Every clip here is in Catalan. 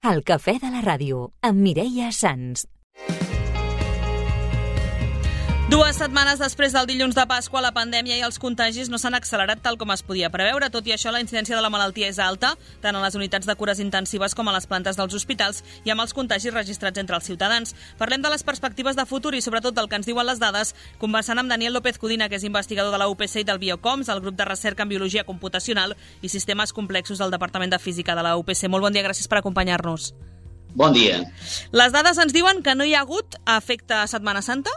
El cafè de la ràdio, amb Mireia Sans. 2 setmanes després del dilluns de Pasqua, la pandèmia i els contagis no s'han accelerat tal com es podia preveure. Tot i això, la incidència de la malaltia és alta, tant a les unitats de cures intensives com a les plantes dels hospitals i amb els contagis registrats entre els ciutadans. Parlem de les perspectives de futur i sobretot del que ens diuen les dades, conversant amb Daniel López Codina, que és investigador de la UPC i del Biocoms, el grup de recerca en biologia computacional i sistemes complexos del Departament de Física de la UPC. Molt bon dia, gràcies per acompanyar-nos. Bon dia. Les dades ens diuen que no hi ha hagut efecte Setmana Santa?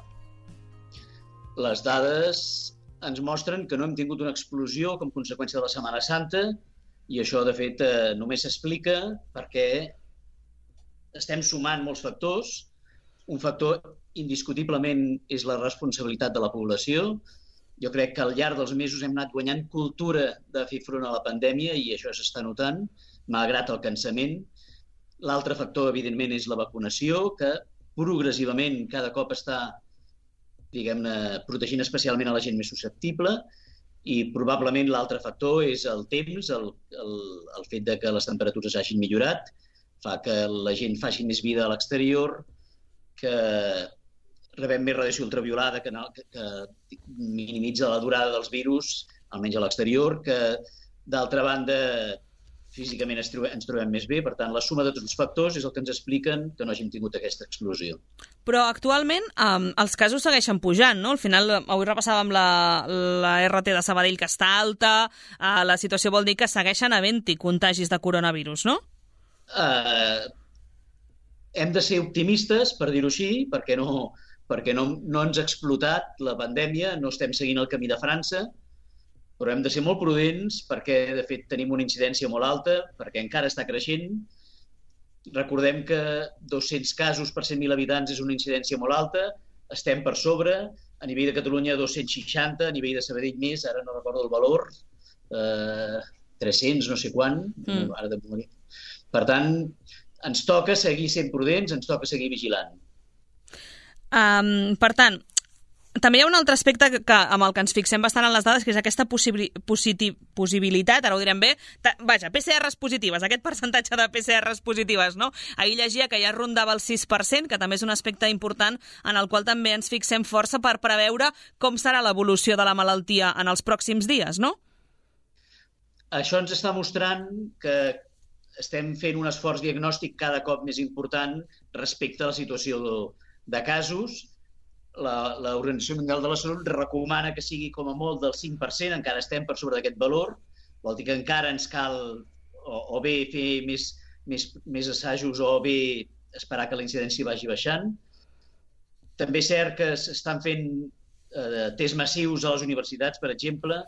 Les dades ens mostren que no hem tingut una explosió com conseqüència de la Setmana Santa i això, de fet, només s'explica perquè estem sumant molts factors. Un factor, indiscutiblement, és la responsabilitat de la població. Jo crec que al llarg dels mesos hem anat guanyant cultura de fer front a la pandèmia i això s'està notant, malgrat el cansament. L'altre factor, evidentment, és la vacunació, que progressivament cada cop està protegint especialment a la gent més susceptible, i probablement l'altre factor és el temps, el fet de que les temperatures hagin millorat, fa que la gent faci més vida a l'exterior, que rebem més radiació ultraviolada que minimitza la durada dels virus, almenys a l'exterior, que d'altra banda físicament ens trobem més bé. Per tant, la suma de tots els factors és el que ens expliquen que no hàgim tingut aquesta explosió. Però actualment els casos segueixen pujant, no? Al final, avui repassàvem la RT de Sabadell, que està alta, la situació vol dir que segueixen havent-hi contagis de coronavirus, no? Hem de ser optimistes, per dir-ho així, perquè no ens ha explotat la pandèmia, no estem seguint el camí de França, però hem de ser molt prudents perquè, de fet, tenim una incidència molt alta, perquè encara està creixent. Recordem que 200 casos per 100.000 habitants és una incidència molt alta, estem per sobre, a nivell de Catalunya 260, a nivell de Sabadell més, ara no recordo el valor, 300, no sé quant. Per tant, ens toca seguir sent prudents, ens toca seguir vigilant. Per tant, també hi ha un altre aspecte amb el que ens fixem bastant en les dades, que és aquesta possibilitat, ara ho direm bé, PCRs positives, aquest percentatge de PCRs positives, no? Ahir llegia que ja rondava el 6%, que també és un aspecte important en el qual també ens fixem força per preveure com serà l'evolució de la malaltia en els pròxims dies, no? Això ens està mostrant que estem fent un esforç diagnòstic cada cop més important respecte a la situació de casos. L'Organització Mundial de la Salut recomana que sigui com a molt del 5%, encara estem per sobre d'aquest valor, vol dir que encara ens cal o bé fer més assajos o bé esperar que la incidència vagi baixant. També és cert que s'estan fent tests massius a les universitats, per exemple,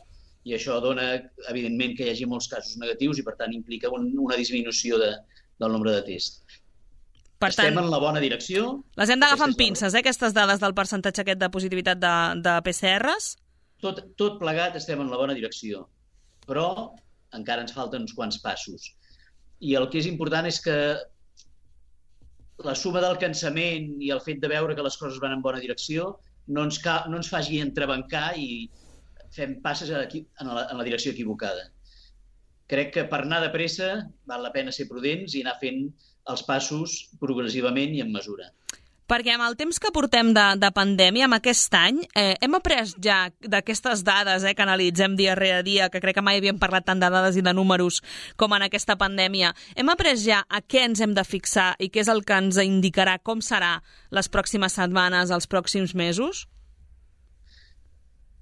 i això dona, evidentment, que hi hagi molts casos negatius i, per tant, implica una disminució del nombre de tests. Estem en la bona direcció. Les hem d'agafar amb pinces, aquestes dades del percentatge aquest de positivitat de PCRs? Tot plegat estem en la bona direcció, però encara ens falten uns quants passos. I el que és important és que la suma del cansament i el fet de veure que les coses van en bona direcció no ens faci entrebancar i fem passes en la direcció equivocada. Crec que per anar de pressa val la pena ser prudents i anar fent els passos progressivament i amb mesura. Perquè amb el temps que portem de pandèmia, amb aquest any, hem après ja d'aquestes dades que analitzem dia rere dia, que crec que mai havíem parlat tant de dades i de números com en aquesta pandèmia, hem après ja a què ens hem de fixar i què és el que ens indicarà com serà les pròximes setmanes, els pròxims mesos?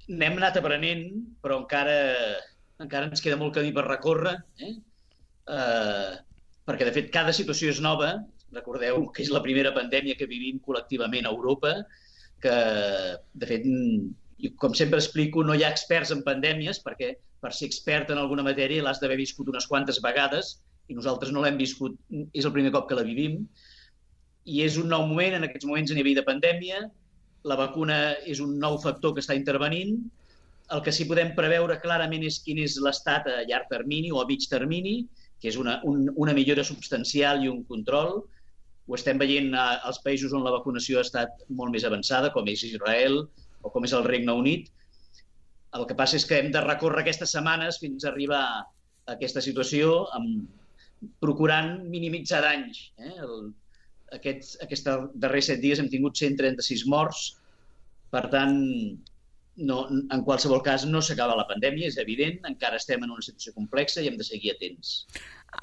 N'hem anat aprenent, però encara ens queda molt camí per recórrer, perquè, de fet, cada situació és nova. Recordeu que és la primera pandèmia que vivim col·lectivament a Europa, que, de fet, com sempre explico, no hi ha experts en pandèmies, perquè per ser expert en alguna matèria l'has d'haver viscut unes quantes vegades, i nosaltres no l'hem viscut, és el primer cop que la vivim, i és un nou moment, en aquests moments a nivell de pandèmia, la vacuna és un nou factor que està intervenint, el que sí podem preveure clarament és quin és l'estat a llarg termini o a mig termini, que és una millora substancial i un control. Ho estem veient als països on la vacunació ha estat molt més avançada, com és Israel o com és el Regne Unit. El que passa és que hem de recórrer aquestes setmanes fins a arribar a aquesta situació amb procurant minimitzar danys. Aquests darrers 7 dies hem tingut 136 morts, per tant, en qualsevol cas no s'acaba la pandèmia, és evident, encara estem en una situació complexa i hem de seguir atents.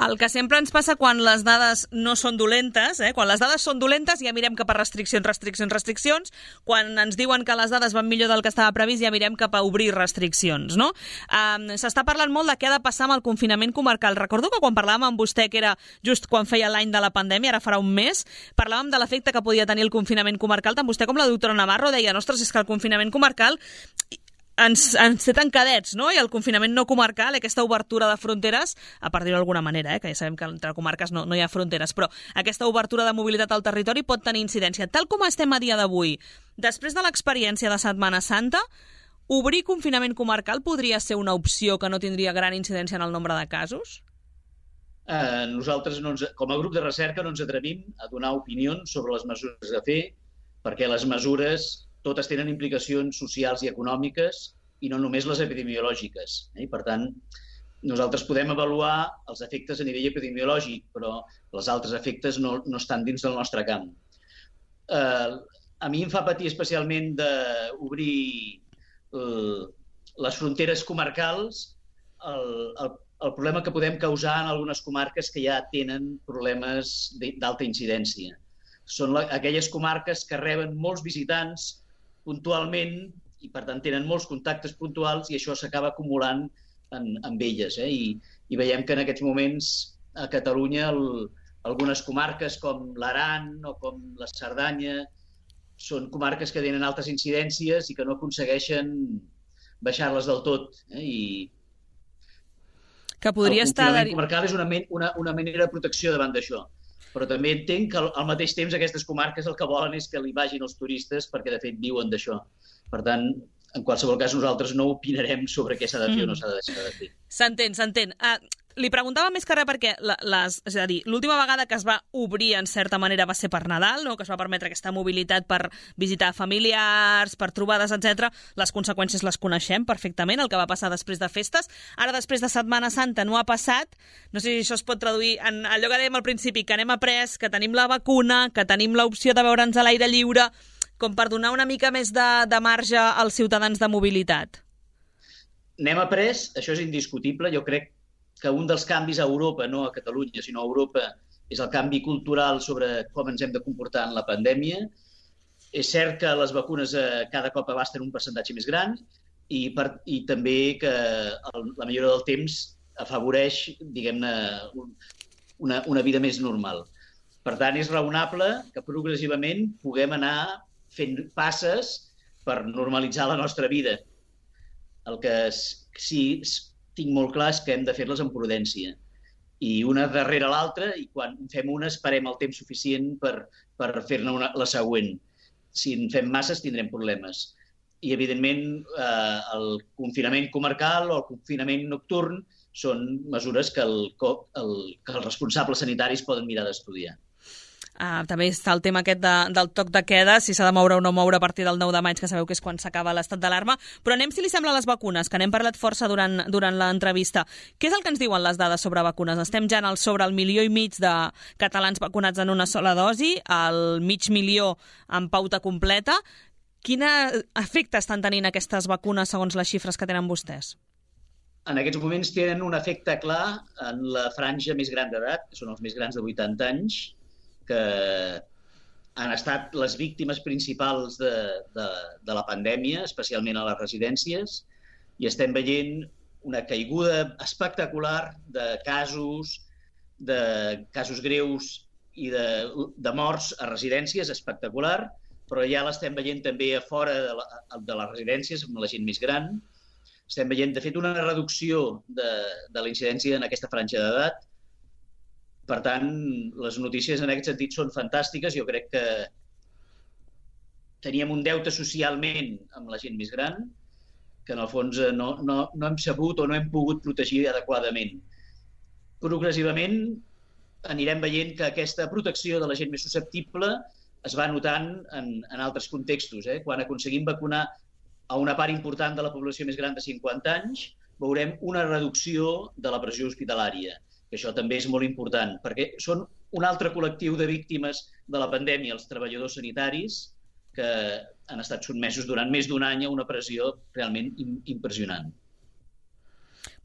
El que sempre ens passa quan les dades no són dolentes, quan les dades són dolentes ja mirem cap a restriccions, quan ens diuen que les dades van millor del que estava previst ja mirem cap a obrir restriccions, no? S'està parlant molt de què ha de passar amb el confinament comarcal. Recordo que quan parlàvem amb vostè, que era just quan feia l'any de la pandèmia, ara farà un mes, parlàvem de l'efecte que podia tenir el confinament comarcal. Tant vostè com la doctora Navarro deien, ostres, és que el confinament comarcal ens té tancadets, no? I el confinament no comarcal, aquesta obertura de fronteres, a part dir-ho d'alguna manera, que ja sabem que entre comarques no hi ha fronteres, però aquesta obertura de mobilitat al territori pot tenir incidència. Tal com estem a dia d'avui, després de l'experiència de Setmana Santa, obrir confinament comarcal podria ser una opció que no tindria gran incidència en el nombre de casos? Nosaltres, com a grup de recerca, no ens atrevim a donar opinions sobre les mesures a fer, perquè les mesures totes tenen implicacions socials i econòmiques i no només les epidemiològiques. I, per tant, nosaltres podem avaluar els efectes a nivell epidemiològic, però els altres efectes no estan dins del nostre camp. A mi em fa patir especialment d'obrir les fronteres comarcals el problema que podem causar en algunes comarques que ja tenen problemes d'alta incidència. Són aquelles comarques que reben molts visitants puntualment i, per tant, tenen molts contactes puntuals i això s'acaba acumulant amb elles. I veiem que en aquests moments a Catalunya algunes comarques com l'Aran o com la Cerdanya són comarques que tenen altes incidències i que no aconsegueixen baixar-les del tot. Que podria estar... El confinament comarcal és una manera de protecció davant d'això. Però també entenc que al mateix temps aquestes comarques el que volen és que li vagin els turistes perquè de fet viuen d'això. Per tant, en qualsevol cas nosaltres no opinarem sobre què s'ha de fer o no s'ha de deixar de fer. S'entén. Li preguntava més que res perquè és a dir, l'última vegada que es va obrir en certa manera va ser per Nadal, no? Que es va permetre aquesta mobilitat per visitar familiars, per trobades, etc. Les conseqüències les coneixem perfectament, el que va passar després de festes. Ara, després de Setmana Santa, no ha passat. No sé si això es pot traduir en allò que dèiem al principi, que n'hem après, que tenim la vacuna, que tenim l'opció de veure'ns a l'aire lliure, com per donar una mica més de marge als ciutadans de mobilitat. N'hem après, això és indiscutible. Jo crec que un dels canvis a Europa, no a Catalunya, sinó a Europa, és el canvi cultural sobre com ens hem de comportar en la pandèmia. És cert que les vacunes cada cop abasten un percentatge més gran i també que la millora del temps afavoreix, diguem-ne, una vida més normal. Per tant, és raonable que progressivament puguem anar fent passes per normalitzar la nostra vida. El que sí tinc molt clar és que hem de fer-les amb prudència. I una darrere l'altra, i quan fem una esperem el temps suficient per fer-ne la següent. Si en fem masses tindrem problemes. I, evidentment, el confinament comarcal o el confinament nocturn són mesures que els responsables sanitaris poden mirar d'estudiar. També està el tema aquest del toc de queda, si s'ha de moure o no moure a partir del 9 de maig, que sabeu que és quan s'acaba l'estat d'alarma. Però anem, si li sembla, a les vacunes, que n'hem parlat força durant l'entrevista. Què és el que ens diuen les dades sobre vacunes? Estem ja sobre el 1,5 milió de catalans vacunats en una sola dosi, el 500.000 en pauta completa. Quin efecte estan tenint aquestes vacunes segons les xifres que tenen vostès? En aquests moments tenen un efecte clar en la franja més gran d'edat, que són els més grans de 80 anys, que han estat les víctimes principals de la pandèmia, especialment a les residències, i estem veient una caiguda espectacular de casos greus i de morts a residències, espectacular, però ja l'estem veient també a fora de les residències, amb la gent més gran. Estem veient, de fet, una reducció de la incidència en aquesta franja d'edat. Per tant, les notícies en aquest sentit són fantàstiques. Jo crec que teníem un deute socialment amb la gent més gran que en el fons no hem sabut o no hem pogut protegir adequadament. Progressivament anirem veient que aquesta protecció de la gent més susceptible es va notant en altres contextos. Quan aconseguim vacunar a una part important de la població més gran de 50 anys, veurem una reducció de la pressió hospitalària, que això també és molt important, perquè són un altre col·lectiu de víctimes de la pandèmia, els treballadors sanitaris, que han estat sotmesos durant més d'un any a una pressió realment impressionant.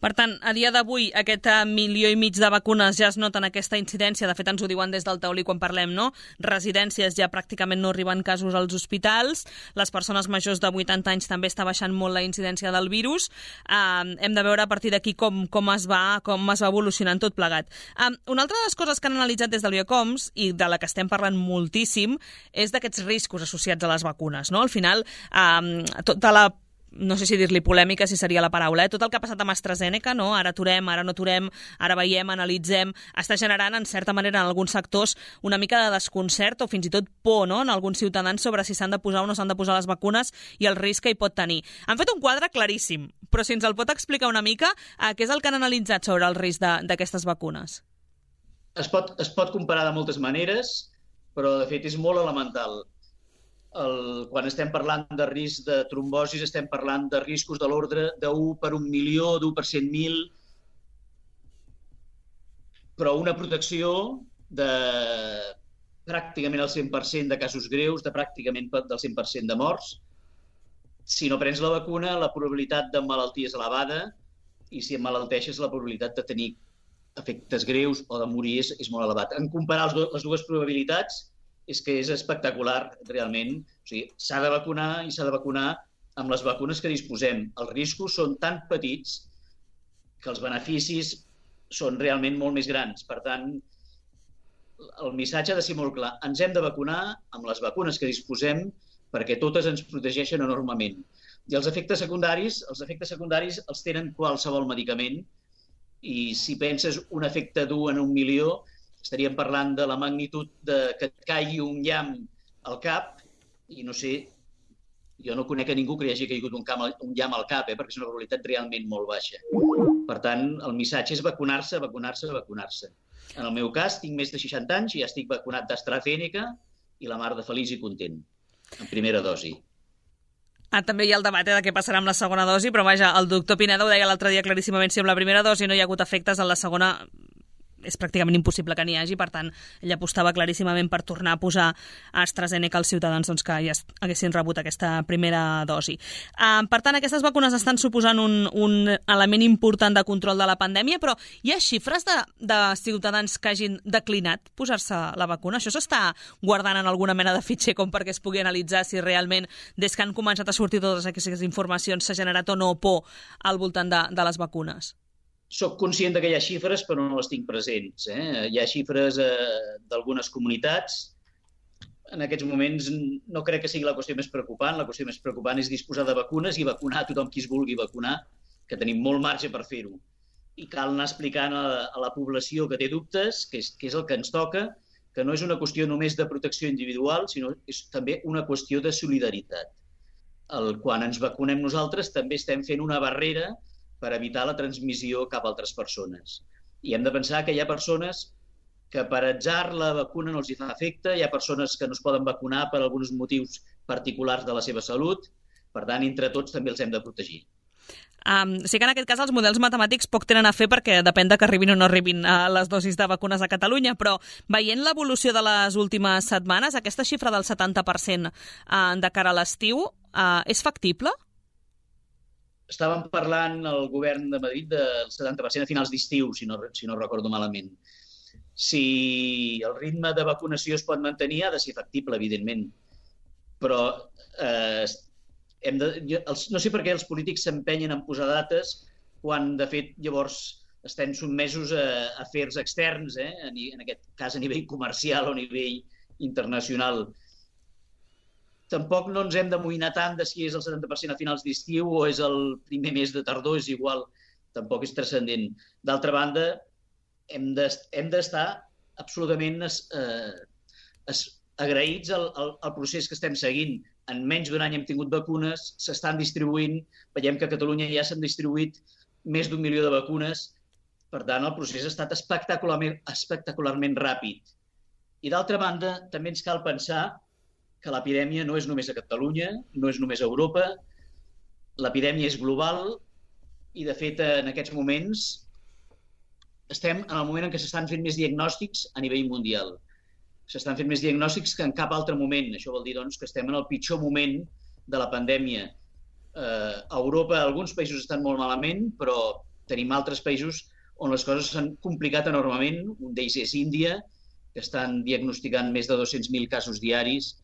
Per tant, a dia d'avui, aquest 1,5 milió de vacunes ja es noten aquesta incidència. De fet, ens ho diuen des del taulí quan parlem, no? Residències ja pràcticament no arriben casos als hospitals. Les persones majors de 80 anys també està baixant molt la incidència del virus. Hem de veure a partir d'aquí com es va evolucionant tot plegat. Una altra de les coses que han analitzat des del Biocoms, i de la que estem parlant moltíssim, és d'aquests riscos associats a les vacunes, no? Al final, tota la no sé si dir-li polèmica, si seria la paraula, tot el que ha passat amb AstraZeneca, no? Ara aturem, ara no aturem, ara veiem, analitzem, està generant, en certa manera, en alguns sectors, una mica de desconcert o fins i tot por, no?, en alguns ciutadans sobre si s'han de posar o no s'han de posar les vacunes i el risc que hi pot tenir. Han fet un quadre claríssim, però si ens el pot explicar una mica, què és el que han analitzat sobre el risc d'aquestes vacunes? Es pot comparar de moltes maneres, però de fet és molt elemental. Quan estem parlant de risc de trombosis, estem parlant de riscos de l'ordre d'1 per 1 milió, d'1 per 100.000, però una protecció de pràcticament el 100% de casos greus, de pràcticament del 100% de morts. Si no prens la vacuna, la probabilitat de malaltia és elevada i si emmalalteixes, la probabilitat de tenir efectes greus o de morir és molt elevat. En comparar les dues probabilitats, és que és espectacular, realment. O sigui, s'ha de vacunar i s'ha de vacunar amb les vacunes que disposem. Els riscos són tan petits que els beneficis són realment molt més grans. Per tant, el missatge ha de ser molt clar. Ens hem de vacunar amb les vacunes que disposem perquè totes ens protegeixen enormement. I els efectes secundaris els tenen qualsevol medicament i si penses un efecte d'1 en 1 milió, estaríem parlant de la magnitud que et caigui un llamp al cap i no sé, jo no conec a ningú que li hagi caigut un llamp al cap, perquè és una probabilitat realment molt baixa. Per tant, el missatge és vacunar-se, vacunar-se, vacunar-se. En el meu cas, tinc més de 60 anys i ja estic vacunat d'AstraZeneca i la mar de feliç i content, en primera dosi. També hi ha el debat de què passarà amb la segona dosi, però vaja, el doctor Pineda ho deia l'altre dia claríssimament, si amb la primera dosi no hi ha hagut efectes, en la segona és pràcticament impossible que n'hi hagi, per tant, ell apostava claríssimament per tornar a posar AstraZeneca als ciutadans que ja haguessin rebut aquesta primera dosi. Per tant, aquestes vacunes estan suposant un element important de control de la pandèmia, però hi ha xifres de ciutadans que hagin declinat posar-se la vacuna? Això s'està guardant en alguna mena de fitxer com perquè es pugui analitzar si realment, des que han començat a sortir totes aquestes informacions, s'ha generat o no por al voltant de les vacunes? Soc conscient que hi ha xifres, però no les tinc presents. Hi ha xifres d'algunes comunitats. En aquests moments no crec que sigui la qüestió més preocupant. La qüestió més preocupant és disposar de vacunes i vacunar tothom qui es vulgui vacunar, que tenim molt marge per fer-ho. I cal anar explicant a la població que té dubtes, que és el que ens toca, que no és una qüestió només de protecció individual, sinó és també una qüestió de solidaritat. Quan ens vacunem nosaltres també estem fent una barrera per evitar la transmissió cap a altres persones. I hem de pensar que hi ha persones que per atzar la vacuna no els hi fa efecte, hi ha persones que no es poden vacunar per alguns motius particulars de la seva salut, per tant, entre tots també els hem de protegir. Sí que en aquest cas els models matemàtics poc tenen a fer perquè depèn de que arribin o no arribin les dosis de vacunes a Catalunya, però veient l'evolució de les últimes setmanes, aquesta xifra del 70% de cara a l'estiu és factible? Estàvem parlant al govern de Madrid del 70% a finals d'estiu, si no recordo malament. Si el ritme de vacunació es pot mantenir, ha de ser factible, evidentment. Però no sé per què els polítics s'empenyen en posar dates quan, de fet, llavors estem sotmesos a afers externs, en aquest cas a nivell comercial o a nivell internacional. Tampoc no ens hem d'amoïnar tant de si és el 70% a finals d'estiu o és el primer mes de tardor, és igual, tampoc és transcendent. D'altra banda, hem d'estar absolutament agraïts al procés que estem seguint. En menys d'un any hem tingut vacunes, s'estan distribuint, veiem que a Catalunya ja s'han distribuït més d'1 milió de vacunes, per tant el procés ha estat espectacularment ràpid. I d'altra banda, també ens cal pensar que l'epidèmia no és només a Catalunya, no és només a Europa, l'epidèmia és global i, de fet, en aquests moments estem en el moment en què s'estan fent més diagnòstics a nivell mundial. S'estan fent més diagnòstics que en cap altre moment. Això vol dir doncs, que estem en el pitjor moment de la pandèmia. A Europa alguns països estan molt malament, però tenim altres països on les coses s'han complicat enormement. Un d'ells és Índia, que estan diagnosticant més de 200.000 casos diaris,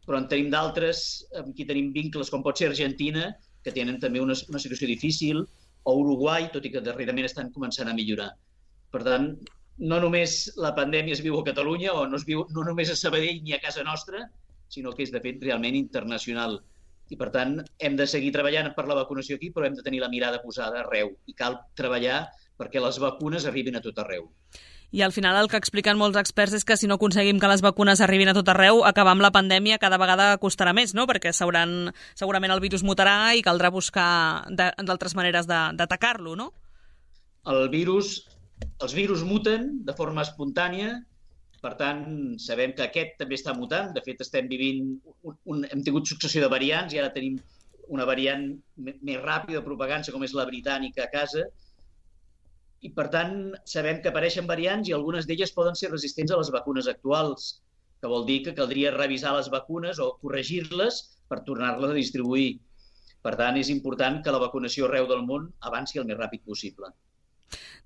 però en tenim d'altres amb qui tenim vincles, com pot ser Argentina, que tenen també una situació difícil, o Uruguai, tot i que darrerament estan començant a millorar. Per tant, no només la pandèmia es viu a Catalunya, o no es viu no només a Sabadell ni a casa nostra, sinó que és, de fet, realment internacional. I, per tant, hem de seguir treballant per la vacunació aquí, però hem de tenir la mirada posada arreu. I cal treballar perquè les vacunes arribin a tot arreu. I al final el que expliquen molts experts és que si no aconseguim que les vacunes arribin a tot arreu, acabar amb la pandèmia cada vegada costarà més, no? Perquè segurament el virus mutarà i caldrà buscar d'altres maneres d'atacar-lo, no? Els virus muten de forma espontània, per tant, sabem que aquest també està mutant. De fet, estem vivint hem tingut successió de variants i ara tenim una variant més ràpida de propaganda, com és la britànica a casa. I, per tant, sabem que apareixen variants i algunes d'elles poden ser resistents a les vacunes actuals, que vol dir que caldria revisar les vacunes o corregir-les per tornar-les a distribuir. Per tant, és important que la vacunació arreu del món avanci el més ràpid possible.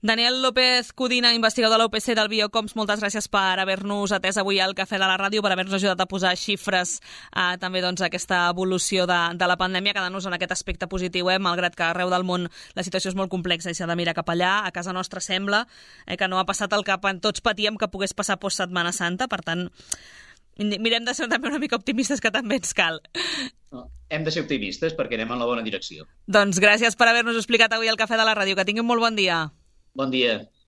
Daniel López Codina, investigador de la UPC del Biocoms, moltes gràcies per haver-nos atès avui al Cafè de la Ràdio, per haver-nos ajudat a posar xifres també a aquesta evolució de la pandèmia, quedant-nos en aquest aspecte positiu, malgrat que arreu del món la situació és molt complexa i s'ha de mirar cap allà. A casa nostra sembla que no ha passat el que tots patíem que pogués passar post Setmana Santa, per tant, mirem de ser també una mica optimistes, que també ens cal. Hem de ser optimistes perquè anem en la bona direcció. Doncs gràcies per haver-nos explicat avui al Cafè de la Ràdio. Que tinguin molt bon dia. Bon dia.